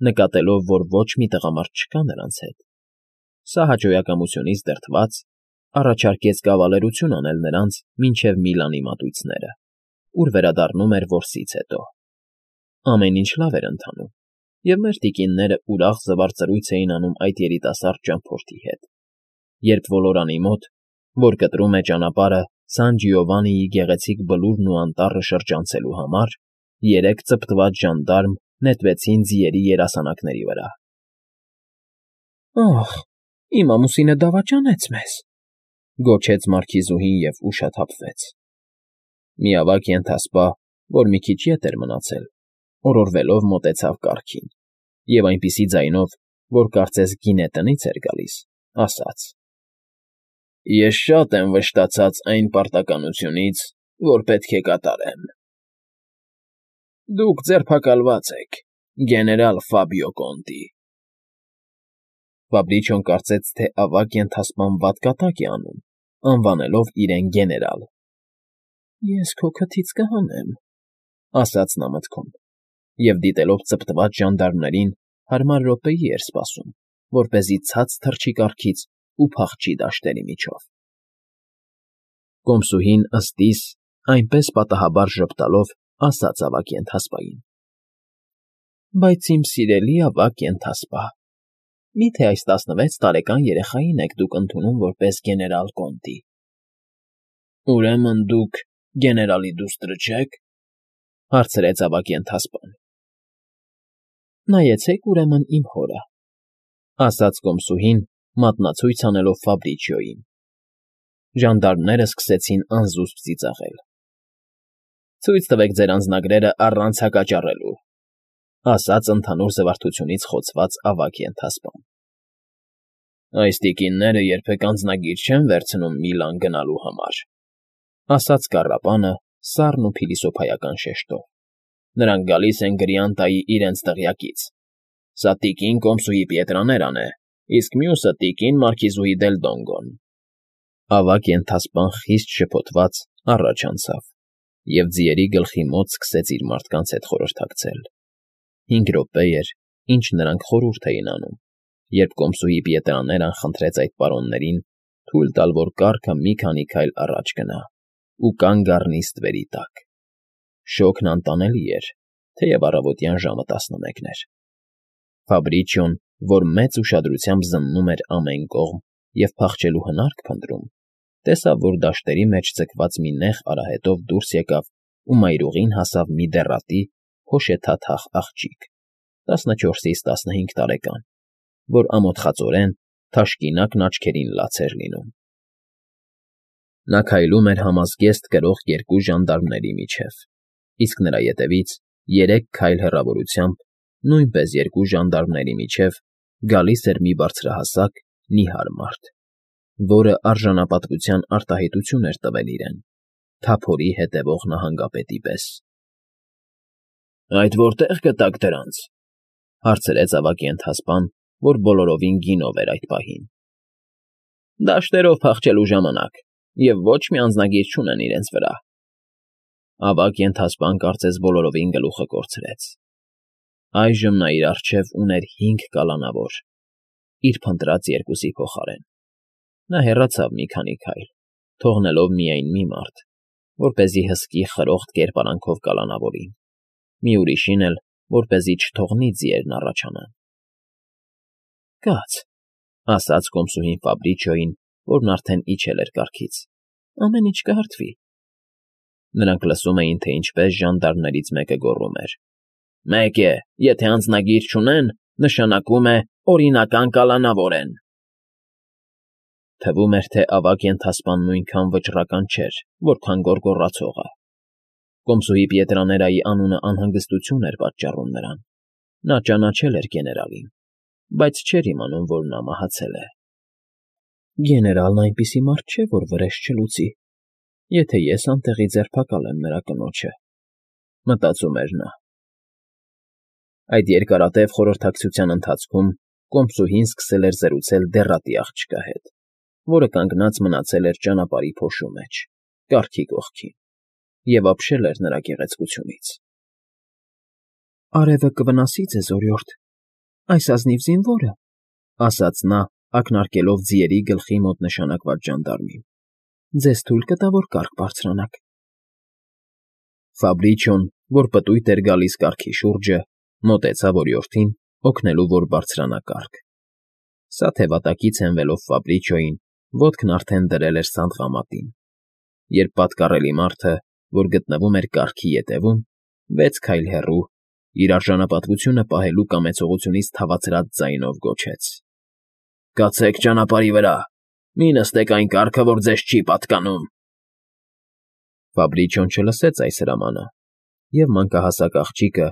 նկատելով, որ ոչ մի տղամարդ չկա նրանց հետ, սա հաճոյակամությունից դրդված, առաջարկեց կավալերություն անել նրանց մինչև Միլանի մատույցները, ուր վերադառնում էր որսից հետո։ Ամեն ինչ լավ էր ընթանում, և մեր տիկինները ուրախ զվարճռույց էին անում այդ երիտասարդ ճամփորդի հետ, երբ ոլորանի մոտ, որ կտրում է ճանապարհը Սան Ջիովանիի գեղեցիկ բլուրն ու անտառը շրջանցելու համար, երեք ծպտված ժանդարմ նետվեցին ձիերի երասանակների վրա։ «Ախ, իմ ամուսինը դավաճանեց մեզ», գոչեց մարքիզուհին և ուշաթափվեց։ Մի ավագ ենթասպա, որ մի քիչ ետ էր մնացել, օրորվելով մոտեցավ կառքին և այնպիսի ձայնով, որ կարծես գինե տնից էր գալիս, ասաց. «Ես շատ եմ վշտացած այն պարտականությունից, որ պետք է կատարեմ։ Դուք ձերբակալված եք, գեներալ Ֆաբիո Կոնտի»։ Ֆաբրիչոն կարծեց, թե ավագ ենթասպան վատ կատակ է անում, անվանելով իրեն գեներալ։ «Ես քո քթից կհանեմ», ասաց նա մտքում, և դիտելով ծպտված ժանդարմներին, հարմար րոպեի էր սպասում, որպեսզի ցած թռչի կառքից ու փախչի դաշտերի միջով։ Կոմսուհին ըստ իս, այնպես պատահաբար ժպտալով, ասաց ավագ ենթասպային. «Բայց իմ սիրելի ավագ ենթասպա, մի՞թե այս 16 տարեկան երեխային եք դուք ընդունում որպես գեներալ Կոնտի»։ «Ուրեմն դուք գեներալի դուստրը չեք», հարցրեց ավագ ենթասպան։ «Նայեցեք, ուրեմն, իմ հորը», ասաց կոմսուհին, մատնացույց անելով Ֆաբրիչիոյին։ Ժանդարմները սկսեցին անզուսպ ծիծաղել։ «Ցույց տվեք ձեր անձնագրերը առանց հակճառելու», ասաց ընդհանուր զվարթությունից խոցված ավագ ենթասպան։ «Այս տիկինները երբեք անձնագիր չեն վերցնում Միլան գնալու համար», ասաց կառապանը սառն ու փիլիսոփայական շեշտով։ «Նրանք գալիս են Գրիանտայի իրենց տեղյակից։ Սա տիկին կոմսուհի Պիետրաներան է, իսկ մյուսը տիկին մարքիզուհի դել Դոնգոն»։ Ավագ ենթասպան խիստ շփոթված առաջ անցավ և ձիերի գլխի մոտ սկսեց իր մարդկանց հետ խորհրդակցել։ 5 րոպե էր, ինչ նրանք խորհուրդ էին անում, երբ կոմսուհի Պիետրաներան խնդրեց այդ պարոններին թույլ տալ, որ կառքը մի քանի քայլ առաջ գնա ու կանգ առնի ստվերի տակ։ Շոգն անտանելի էր, թեև առավոտյան ժամը 11 էր։ Ֆաբրիչիոն, որ մեծ ուշադրությամբ զննում էր ամեն կողմ և փախչելու հնարք փնտրում, տեսավ, որ դաշտերի մեջ ձգված մի նեղ արահետով դուրս եկավ ու մայրուղին հասավ մի դեռատի, հոշեթաթախ աղջիկ, 14-ից 15 տարեկան, որ ամոթխածորեն թաշկինակն աչքերին լաց էր լինում։ Նա քայլում էր համազգեստ կրող 2 ժանդարմների միջև, իսկ նրա ետևից 3 քայլ հեռավորությամբ, նույնպես 2 ժանդարմների միջև, գալիս էր մի բարձրահասակ, նիհար մարդ, որը արժանապատվության արտահայտություն էր տվել իրեն, թափորի հետևող նահանգապետի պես։ «Այդ որտե՞ղ գտաք դրանց», հարցրեց ավագ ենթասպան, որ բոլորովին գինով էր այդ պահին։ «Դաշտերով փախչելու ժամանակ, և ոչ մի անձնագիր չունեն իրենց վրա»։ Ավագ ենթասպան կարծես բոլորովին գլուխը կորցրեց։ Այժմ նա իր առջև ուներ 5 կալանավոր, իր փնտրած 2-ի փոխարեն։ Նա հեռացավ մի քանի քայլ, թողնելով միայն մի մարդ, որպեսզի հսկի խրոխտ կերպարանքով կալանավորին, մի ուրիշին էլ, որպեսզի չթողնի ձիերն առաջանան։ «Կաց», ասաց կոմսուհին Ֆաբրիչիոյին, որն արդեն իջել էր կառքից, «ամեն ինչ կհարթվի»։ Նրանք լսում էին, թե ինչպես ժանդարմներից մեկը գոռում էր. «Մեկ է, եթե անձնագիր չունեն, նշանակում է օրինական կալանավոր են»։ Թվում էր, թե ավագ ենթասպան նույնքան վճռական չէր, որքան գոռգոռացողը։ Կոմսուհի Պիետրաներայի անունը անհանգստություն էր պատճառում նրան։ Նա ճանաչել էր գեներալին, բայց չէր իմանում, որ նա մահացել է։ «Գեներալն այնպիսի մարդ չէ, որ վրեժ չլուծի, եթե ես անտեղի ձերբակալեմ նրա կնոջը», մտածում էր նա։ Այդ երկարատև խորհրդակցության ընթացքում կոմսուհին սկսել էր զրուցել դեռատի աղջկա հետ, որը կանգնած մնացել էր ճանապարհի փոշու մեջ, կառքի կողքին, և ապշել էր նրա գեղեցկությունից։ «Արևը կվնասի ձեզ, օրիորդ, Այս ազնիվ զինվորը, ասաց նա, ակնարկելով ձիերի գլխի մոտ նշանակված ժանդարմին, ձեզ թույլ կտա, որ կառք բարձրանաք։ Ֆաբրիչոն, որ պտույտ էր գալիս կառքի շուրջը, մոտեցավ օրիորդին, օգնելու, որ բարձրանա կառք։ Սա թե վատակից հենվելով Ֆաբրիչոյին, ոտքն արդեն դրել էր սանդղամատին, երբ պատկառելի մարդը, որ գտնվում էր կառքի ետևում, 6 քայլ հեռու, իր արժանապատվությունը պահելու կամեցողությունից թավացրած ձայնով գոչեց. «Կացեք ճանապարհի վրա, մի նստեք այն կառքը, որ ձեզ չի պատկանում»։ Ֆաբրիչոն չլսեց այս հրամանը, և մանկահասակ աղջիկը,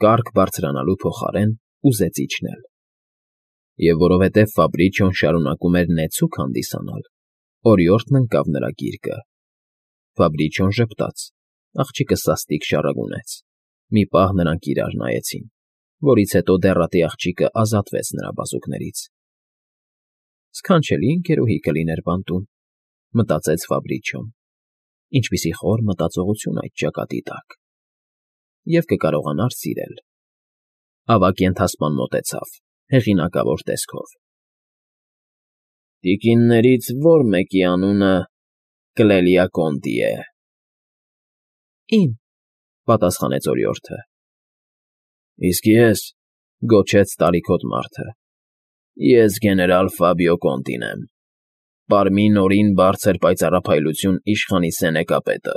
կառք բարձրանալու փոխարեն, ուզեց իջնել։ Եվ որովհետև Ֆաբրիչոն շարունակում էր նեցուկ հանդիսանալ, օրիորդն ընկավ նրա գիրկը։ Ֆաբրիչոն ժպտաց, աղջիկը սաստիկ շառագունեց։ Մի պահ նրանք իրար նայեցին, որից հետո դեռատի աղջիկը ազատվեց նրա բազուկներից։ «Սքանչելի ընկերուհի կլիներ բանտում», մտածեց Ֆաբրիչոն։ Ինչպիսի խոր մտածողություն այդ ճակատի տակ։ Եվ կկարողանար սիրել։ Ավագ ենթասպան մոտեցավ, հեղինակավոր տեսքով։ «Տիկիններից ո՞ր մեկի անունը Կլելիակոնտի է»։ «Իմ», պատասխանեց օրիորդը։ «Իսկ ես», գոչեց տարիքոտ մարդը, «ես գեներալ Ֆաբիո Կոնտին եմ, Պարմի Նորին բարձր պայծառափայլություն իշխանի սենեկապետը։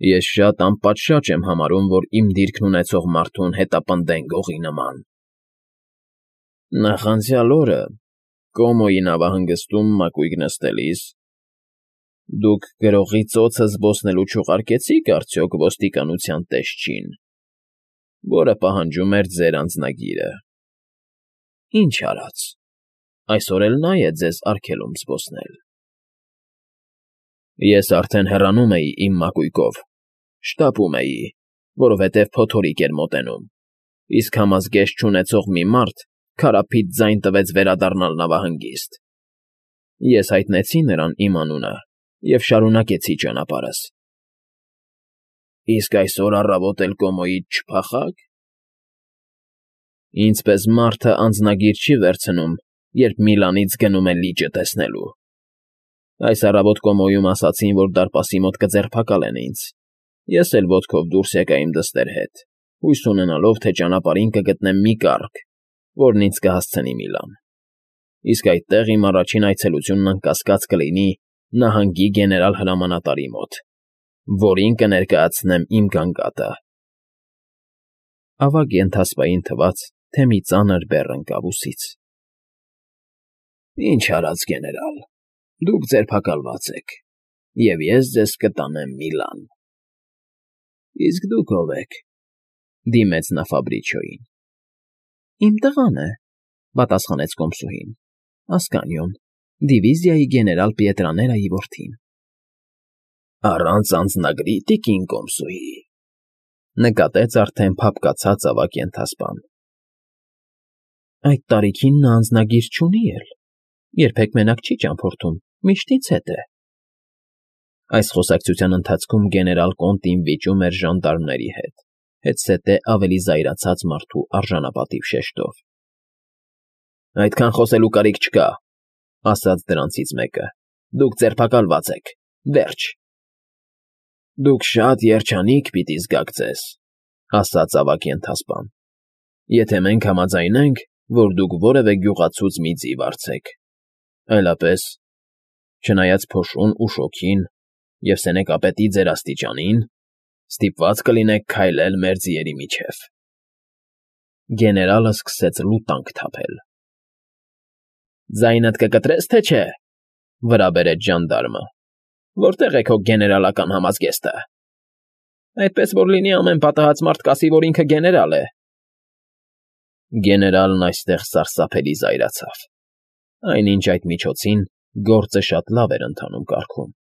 Ես շատ անպատշաճ եմ համարում, որ իմ դիրքն ունեցող մարդուն հետապնդեն գողի նման։ Նախանցյալ օրը Կոմոյի նավահանգստում մակույկ նստելիս դուք գրողի ծոցը զբոսնելու չուղարկեցի՞ք արդյոք ոստիկանության տեսչին, որը պահանջում էր ձեր անձնագիրը։ Ինչ արած, այսօր էլ նա է ձեզ արգելում զբոսնել։ Ես արդեն հեռանում էի իմ մակույկով, շտապում էի, որովհետև փոթորիկ էր մոտենում, իսկ համազգեստ չունեցող մի մարդ քարափիտ ձայն տվեց վերադառնալ նավահանգիստ։ Ես հայտնեցի նրան իմ անունը և շարունակեցի ճանապարհս։ Իսկ այսօր առավոտ էլ Կոմոյից չփախա՞ք։ Ինձ պես մարդը անձնագիր չի վերցնում, երբ Միլանից գնում է լիճը տեսնելու։ Այս առավոտ Կոմոյում ասացին, որ դարպասի մոտ կձերբակալեն ինձ։ Ես էլ ոտքով դուրս եկա իմ դստեր հետ, հույս ունենալով, թե ճանապարհին կգտնեմ մի կառք, որն ինձ կհասցնի Միլան։ Իսկ այդտեղ իմ առաջին այցելությունն անկասկած կլինի նահանգի գեներալ հրամանատարի մոտ, որին կներկայացնեմ իմ գանգատը։ Ավագ ենթասպային թվաց, թե մի ծանր բեռ ընկավ ուսից։ Ինչ արած, գեներալ, դուք ձերբակալված եք, և ես ձեզ կտանեմ Միլան։ Իսկ դուք ով եք, դիմեց նա Ֆաբրիչոյին։ Իմ տղան է, պատասխանեց կոմսուհին, Ասկանիոն, դիվիզիայի գեներալ Պիետրաներայի որդին։ Առանց անձնագրի, տիկին կոմսուհի, նկատեց արդեն փափկացած ավագ ենթասպան։ Այդ տարիքին նա անձնագիր չունի էլ, երբեք մենակ չի ճամփորդում, միշտ ինձ հետ է։ Այս խոսակցության ընթացքում գեներալ Կոնտին վիճում էր ժանդարմների հետ, հետզհետե ավելի զայրացած մարդու արժանապատիվ շեշտով։ Այդքան խոսելու կարիք չկա, ասաց դրանցից մեկը, դուք ձերբակալված եք, վերջ։ Դուք շատ երջանիկ պիտի զգաք ձեզ, ասաց ավագ ենթասպան, եթե մենք համաձայնենք, որ դուք որևէ գյուղացուց մի ձի վարձեք, այլապես, չնայած փոշուն ու շոգին և սենեկապետի ձեր աստիճանին, ստիպված կլինեք քայլել մեր ձիերի միջև։ Գեներալը սկսեց լուտանք թափել։ Ձայնդ կկտրես, թե չէ, վրա բերեց ժանդարմը, որտեղ է քո գեներալական համազգեստը։ Այդպես որ լինի ամեն պատահած մարդ կասի, որ ինքը գեներալ է։ Գեներալն այստեղ սարսափելի զայրացավ։ Այնինչ այդ միջոցին գործը շատ լավ էր ընթանում կարգում։